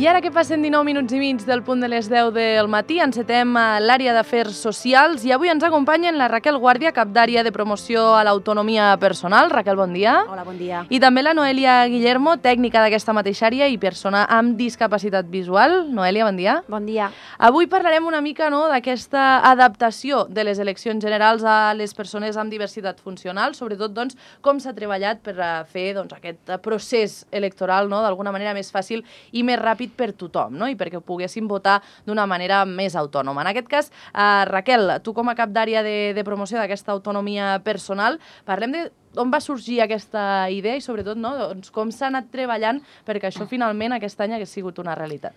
ara que passen 19 minuts i mig del punt de les 10 del matí, encetem l'àrea d'Afers Socials i avui ens acompanyen la Raquel Guàrdia, cap d'àrea de promoció a l'autonomia personal. Raquel, bon dia. Hola, bon dia. I també la Noelia Guillermo, tècnica d'aquesta mateixa àrea i persona amb discapacitat visual. Noelia, bon dia. Bon dia. Avui parlarem una mica d'aquesta adaptació de les eleccions generals a les persones amb diversitat funcional, sobretot com s'ha treballat per fer aquest procés electoral d'alguna manera més fàcil i més ràpid per tothom, i perquè poguessin votar d'una manera més autònoma. En aquest cas, Raquel, tu com a cap d'àrea de promoció d'aquesta autonomia personal, parlem d'on va sorgir aquesta idea i sobretot com s'ha anat treballant perquè això finalment aquest any hagués sigut una realitat.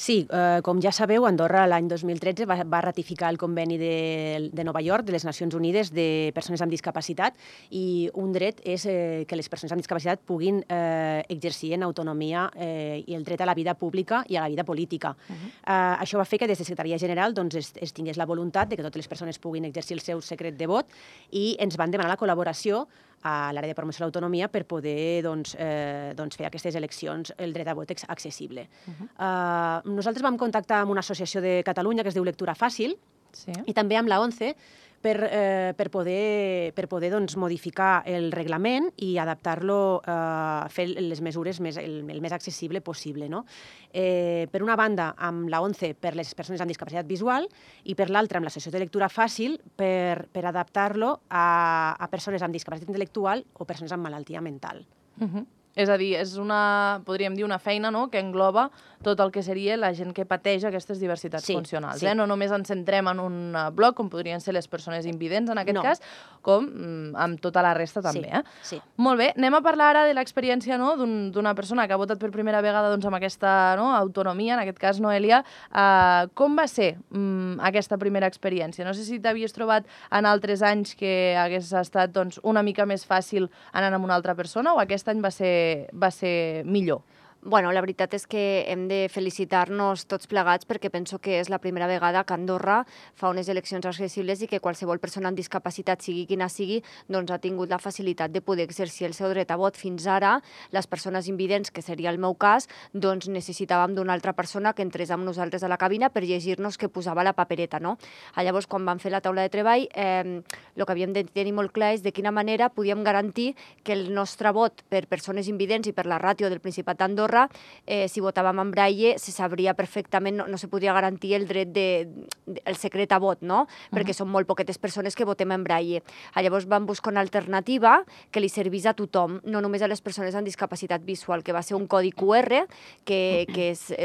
Sí, com ja sabeu, Andorra l'any 2013 va ratificar el conveni de Nova York, de les Nacions Unides, de persones amb discapacitat, i un dret és que les persones amb discapacitat puguin exercir en autonomia i el dret a la vida pública i a la vida política. Això va fer que des de Secretaria General es tingués la voluntat de que totes les persones puguin exercir el seu secret de vot i ens van demanar la col·laboració a l'àrea de promoció de l'autonomia per poder fer aquestes eleccions el dret a vot accessible. Nosaltres vam contactar amb una associació de Catalunya que es diu Lectura Fàcil i també amb la ONCE per poder modificar el reglament i adaptar-lo a fer les mesures el més accessible possible. Per una banda, amb la ONCE per les persones amb discapacitat visual i per l'altra, amb l'Associació de Lectura Fàcil per adaptar-lo a persones amb discapacitat intel·lectual o persones amb malaltia mental. És a dir, és podríem dir, una feina que engloba tot el que seria la gent que pateix aquestes diversitats funcionals. No només ens centrem en un bloc, com podrien ser les persones invidents en aquest cas, com amb tota la resta també. Molt bé, anem a parlar ara de l'experiència d'una persona que ha votat per primera vegada amb aquesta autonomia, en aquest cas Noelia. Com va ser aquesta primera experiència? No sé si t'havies trobat en altres anys que hagués estat una mica més fàcil anant amb una altra persona o aquest any va ser millor? Bueno, la veritat és que hem de felicitar-nos tots plegats perquè penso que és la primera vegada que Andorra fa unes eleccions accessibles i que qualsevol persona amb discapacitat, sigui quina sigui, ha tingut la facilitat de poder exercir el seu dret a vot. Fins ara, les persones invidents, que seria el meu cas, necessitàvem d'una altra persona que entrés amb nosaltres a la cabina per llegir-nos què posava la papereta. Llavors, quan vam fer la taula de treball, el que havíem de tenir molt clar és de quina manera podíem garantir que el nostre vot per persones invidents i per la ràtio del Principat d'Andorra, si votàvem en braille, se sabria perfectament, no se podria garantir el dret el secret a vot, perquè són molt poquetes persones que votem en braille. Llavors vam buscar una alternativa que li servís a tothom, no només a les persones amb discapacitat visual, que va ser un codi QR que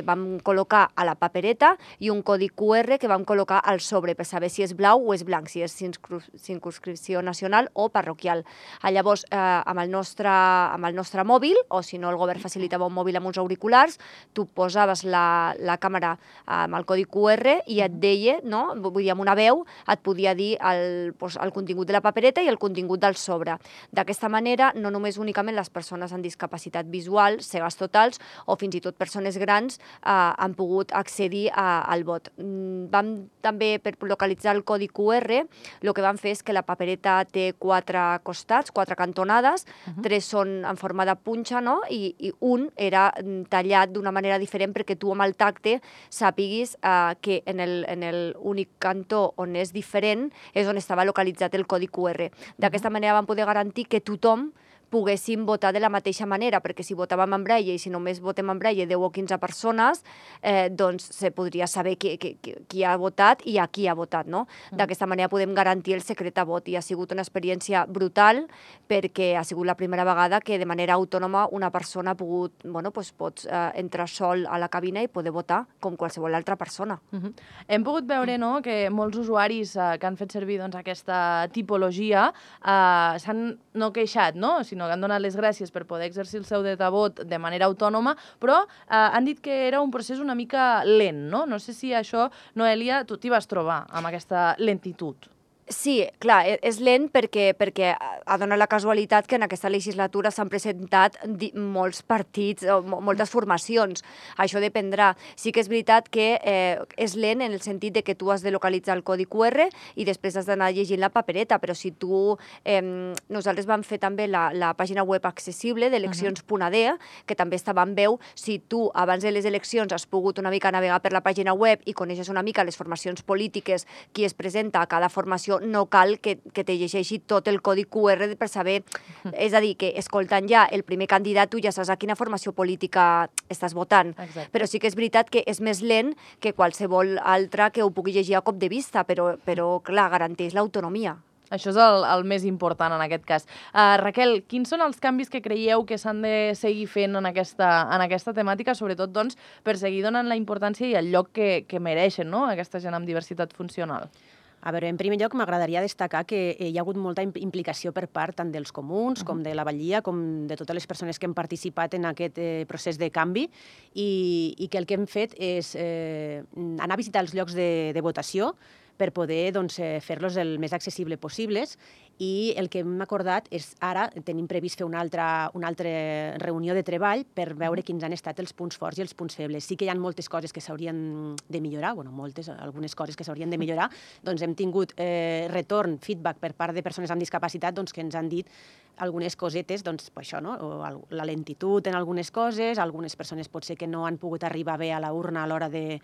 vam col·locar a la papereta i un codi QR que vam col·locar al sobre per saber si és blau o és blanc, si és circumscripció nacional o parroquial. Llavors, amb el nostre mòbil, o si no el govern facilitava un mòbil amb uns auriculars, tu posaves la càmera amb el codi QR i et deia, vull dir, amb una veu, et podia dir el contingut de la papereta i el contingut del sobre. D'aquesta manera, no només únicament les persones amb discapacitat visual, cegues totals, o fins i tot persones grans han pogut accedir al vot. També, per localitzar el codi QR, el que vam fer és que la papereta té 4 costats, 4 cantonades, 3 són en forma de punxa, i un era tallat d'una manera diferent perquè tu amb el tacte sàpiguis que en l'únic cantó on és diferent és on estava localitzat el codi QR. D'aquesta manera vam poder garantir que tothom poguéssim votar de la mateixa manera, perquè si votàvem en braille i si només votem en braille 10 o 15 persones, se podria saber qui ha votat i a qui ha votat. D'aquesta manera podem garantir el secret a vot i ha sigut una experiència brutal perquè ha sigut la primera vegada que de manera autònoma una persona ha pogut, pots entrar sol a la cabina i poder votar com qualsevol altra persona. Hem pogut veure que molts usuaris que han fet servir aquesta tipologia s'han no queixat, sinó que han donat les gràcies per poder exercir el seu dret a vot de manera autònoma, però han dit que era un procés una mica lent, no? No sé si això, Noelia, tu t'hi vas trobar amb aquesta lentitud. Sí, clar, és lent perquè ha donat la casualitat que en aquesta legislatura s'han presentat molts partits, moltes formacions. Això dependrà. Sí que és veritat que és lent en el sentit de que tu has de localitzar el codi QR i després has d'anar llegint la papereta, però si tu... nosaltres vam fer també la pàgina web accessible d'eleccions.ad, que també estava en veu. Si tu abans de les eleccions has pogut una mica navegar per la pàgina web i coneixes una mica les formacions polítiques, qui es presenta a cada formació, no cal que te llegeixi tot el codi QR per saber... És a dir, que escoltant ja el primer candidat tu ja saps a quina formació política estàs votant. Exacte. Però sí que és veritat que és més lent que qualsevol altra que ho pugui llegir a cop de vista, però clar, garanteix l'autonomia. Això és el més important en aquest cas. Raquel, quins són els canvis que creieu que s'han de seguir fent en aquesta temàtica, sobretot doncs, per seguir donant la importància i el lloc que mereixen, no?, aquesta gent amb diversitat funcional? A veure, en primer lloc m'agradaria destacar que hi ha hagut molta implicació per part tant dels comuns com de la Batllia, com de totes les persones que han participat en aquest procés de canvi i que el que hem fet és anar a visitar els llocs de votació per poder fer-los el més accessible possibles i el que hem acordat és ara tenim previst fer una altra reunió de treball per veure quins han estat els punts forts i els punts febles. Sí que hi ha moltes coses que s'haurien de millorar, algunes coses que s'haurien de millorar, doncs hem tingut retorn, feedback per part de persones amb discapacitat que ens han dit algunes cosetes, doncs això, no? La lentitud en algunes coses, algunes persones potser que no han pogut arribar bé a la urna a l'hora de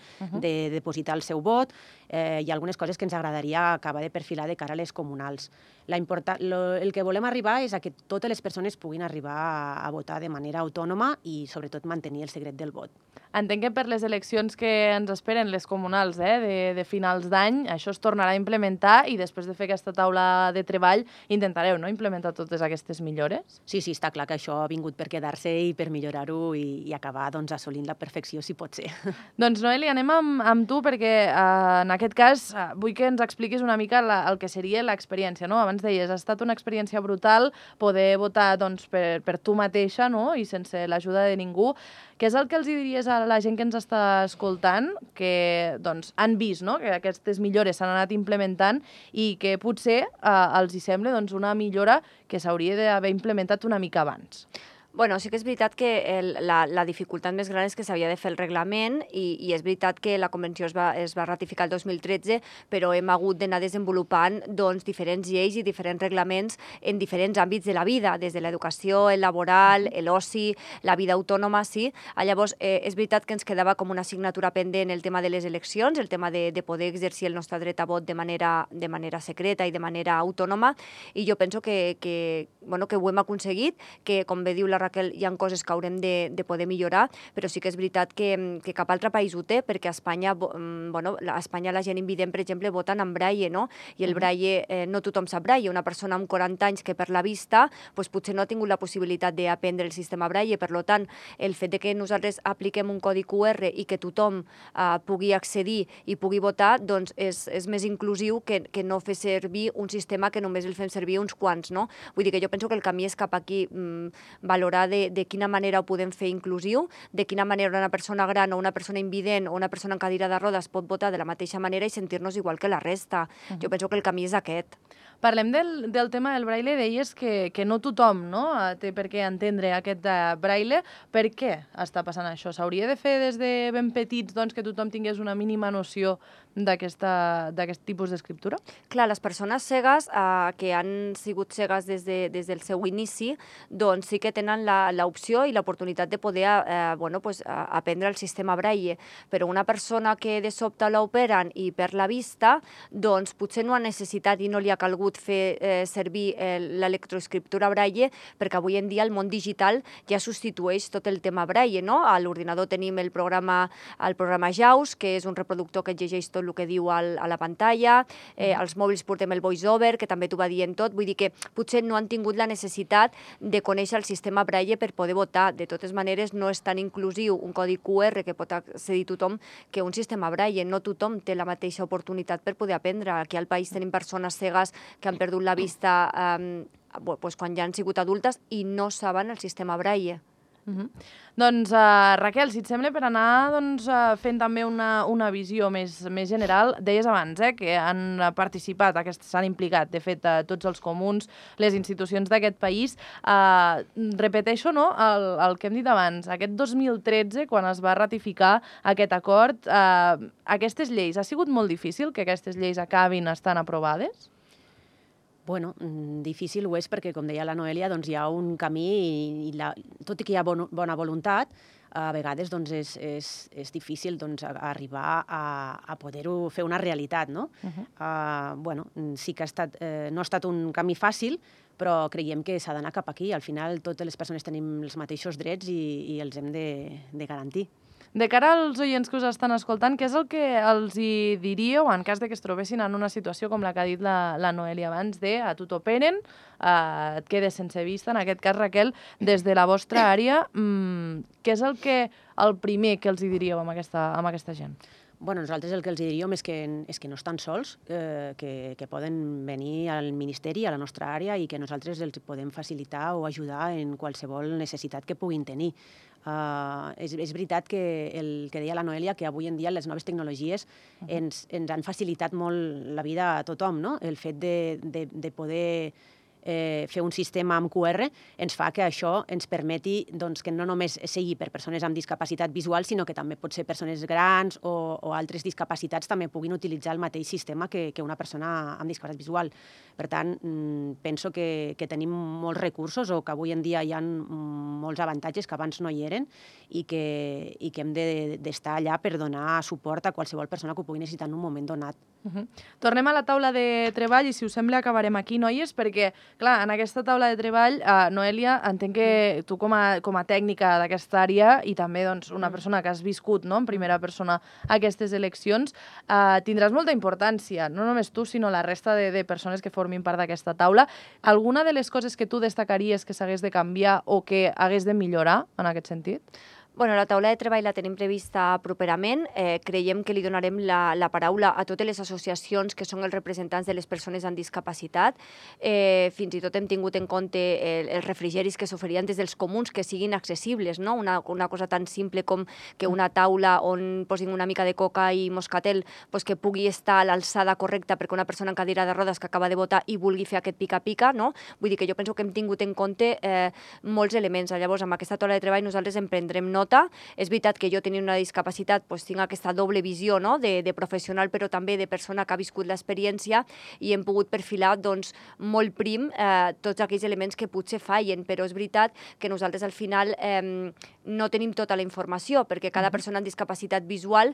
depositar el seu vot, i algunes coses que ens agradaria acabar de perfilar de cara a les comunals. El que volem arribar és a que totes les persones puguin arribar a votar de manera autònoma i, sobretot, mantenir el secret del vot. Entenc que per les eleccions que ens esperen, les comunals de finals d'any, això es tornarà a implementar i després de fer aquesta taula de treball intentareu, no?, implementar totes aquestes millores? Sí, està clar que això ha vingut per quedar-se i per millorar-ho i acabar assolint la perfecció, si pot ser. Doncs, Noeli, anem amb tu perquè en aquest cas vull que ens expliquis una mica el que seria l'experiència, no? Abans deies, ha estat una experiència brutal poder votar per tu mateixa, no?, i sense l'ajuda de ningú. Què és el que els diries a la gent que ens està escoltant, que han vist, no?, que aquestes millores s'han anat implementant i que potser els hi sembla una millora que s'hauria d'haver implementat una mica abans? Bueno, sí que és veritat que la dificultat més gran és que s'havia de fer el reglament i és veritat que la convenció es va ratificar el 2013, però hem hagut d'anar desenvolupant diferents lleis i diferents reglaments en diferents àmbits de la vida, des de l'educació, el laboral, l'oci, la vida autònoma, sí. Llavors, és veritat que ens quedava com una assignatura pendent el tema de les eleccions, el tema de poder exercir el nostre dret a vot de manera secreta i de manera autònoma, i jo penso que ho hem aconseguit, que, com bé diu la Raquel, hi ha coses que haurem de poder millorar, però sí que és veritat que cap altre país ho té, perquè a Espanya la gent invident, per exemple, voten en braille, no? I el braille, no tothom sap braille. Una persona amb 40 anys que per la vista potser no ha tingut la possibilitat d'aprendre el sistema braille, per tant, el fet que nosaltres apliquem un codi QR i que tothom pugui accedir i pugui votar, doncs és més inclusiu que no fer servir un sistema que només el fem servir uns quants, no? Vull dir que jo penso que el camí és cap aquí, valorar de quina manera ho podem fer inclusiu, de quina manera una persona gran o una persona invident o una persona en cadira de rodes pot votar de la mateixa manera i sentir-nos igual que la resta. Jo penso que el camí és aquest. Parlem del tema del braille. Deies que no tothom, no?, té per què entendre aquest braille. Per què està passant això? S'hauria de fer des de ben petits que tothom tingués una mínima noció d'aquest tipus d'escriptura? Clar, les persones cegues que han sigut cegues des del seu inici, doncs sí que tenen l'opció i l'oportunitat de poder aprendre el sistema braille, però una persona que de sobte l'operen i perd la vista, doncs potser no ha necessitat i no li ha calgut fer servir l'electroescriptura braille, perquè avui en dia el món digital ja substitueix tot el tema braille, no? A l'ordinador tenim el programa JAWS, que és un reproductor que llegeix tot el que diu a la pantalla, als mòbils portem el VoiceOver, que també t'ho va dient tot, vull dir que potser no han tingut la necessitat de conèixer el sistema braille per poder votar. De totes maneres, no és tan inclusiu un codi QR que pot accedir tothom que un sistema braille. No tothom té la mateixa oportunitat per poder aprendre. Aquí al país tenim persones cegues que han perdut la vista quan ja han sigut adultes i no saben el sistema braille. Doncs, Raquel, si et sembla, per anar fent també una visió més general, deies abans que han participat, s'han implicat, de fet, tots els comuns, les institucions d'aquest país. Repeteixo el que hem dit abans, aquest 2013, quan es va ratificar aquest acord, aquestes lleis, ha sigut molt difícil que aquestes lleis acabin estant aprovades? Bueno, difícil ho és perquè, com deia la Noelia, doncs hi ha un camí i tot i que hi ha bona voluntat, a vegades doncs, és difícil doncs, arribar a poder-ho fer una realitat, no? Bueno, sí que no ha estat un camí fàcil, però creiem que s'ha d'anar cap aquí. Al final, totes les persones tenim els mateixos drets i els hem de garantir. De cara als oients que us estan escoltant, què és el que els hi diríeu en cas de que es trobessin en una situació com la que ha dit la Noelia abans, de a tu t'operen, et quedes sense vista, en aquest cas, Raquel, des de la vostra àrea, què és el primer que els hi diríeu amb aquesta gent? Bueno, nosaltres el que els diríem és que no estan sols, que poden venir al Ministeri, a la nostra àrea, i que nosaltres els podem facilitar o ajudar en qualsevol necessitat que puguin tenir. És veritat que el que deia la Noelia, que avui en dia les noves tecnologies ens han facilitat molt la vida a tothom, no? El fet de poder fer un sistema amb QR ens fa que això ens permeti que no només sigui per persones amb discapacitat visual, sinó que també pot ser persones grans o altres discapacitats també puguin utilitzar el mateix sistema que una persona amb discapacitat visual. Per tant, penso que tenim molts recursos o que avui en dia hi ha molts avantatges que abans no hi eren i que hem d'estar allà per donar suport a qualsevol persona que ho pugui necessitar en un moment donat. Tornem a la taula de treball i, si us sembla, acabarem aquí, noies, perquè, clar, en aquesta taula de treball, Noelia, entenc que tu com a tècnica d'aquesta àrea i també una persona que has viscut en primera persona aquestes eleccions, tindràs molta importància, no només tu, sinó la resta de persones que formin part d'aquesta taula. Alguna de les coses que tu destacaries que s'hagués de canviar o que hagués de millorar en aquest sentit? Bueno, la taula de treball la tenim prevista properament. Creiem que li donarem la paraula a totes les associacions que són els representants de les persones amb discapacitat. Fins i tot hem tingut en compte els refrigeris que s'oferien des dels comuns, que siguin accessibles, no? Una cosa tan simple com que una taula on posin una mica de coca i moscatel que pugui estar a l'alçada correcta perquè una persona en cadira de rodes que acaba de votar i vulgui fer aquest pica-pica, no? Vull dir que jo penso que hem tingut en compte molts elements. Llavors, amb aquesta taula de treball nosaltres en prendrem nota. És veritat que jo tenint una discapacitat tinc aquesta doble visió de professional però també de persona que ha viscut l'experiència i hem pogut perfilar molt prim tots aquells elements que potser fallen, però és veritat que nosaltres al final no tenim tota la informació perquè cada persona amb discapacitat visual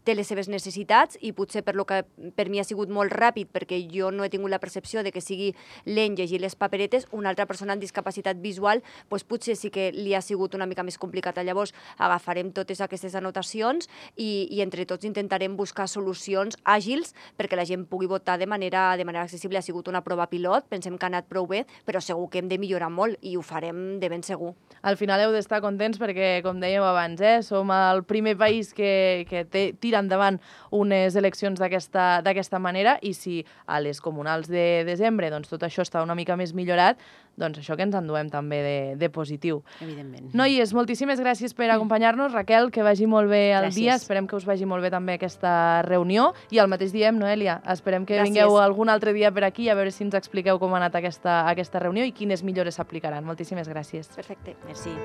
té les seves necessitats i potser per lo que per mi ha sigut molt ràpid perquè jo no he tingut la percepció de que sigui lent llegir les paperetes, una altra persona amb discapacitat visual potser sí que li ha sigut una mica més complicat. Llavors agafarem totes aquestes anotacions i entre tots intentarem buscar solucions àgils perquè la gent pugui votar de manera accessible. Ha sigut una prova pilot, pensem que ha anat prou bé, però segur que hem de millorar molt i ho farem de ben segur. Al final heu d'estar contents perquè, com dèiem abans, som el primer país que tira endavant unes eleccions d'aquesta manera i si a les comunals de desembre tot això està una mica més millorat, doncs això que ens enduem també de positiu. Evidentment. Noies, moltíssimes gràcies per acompanyar-nos. Raquel, que vagi molt bé el dia. Esperem que us vagi molt bé també aquesta reunió. I el mateix diem, Noelia, esperem que vingueu algun altre dia per aquí a veure si ens expliqueu com ha anat aquesta reunió i quines millores s'aplicaran. Moltíssimes gràcies. Perfecte. Merci.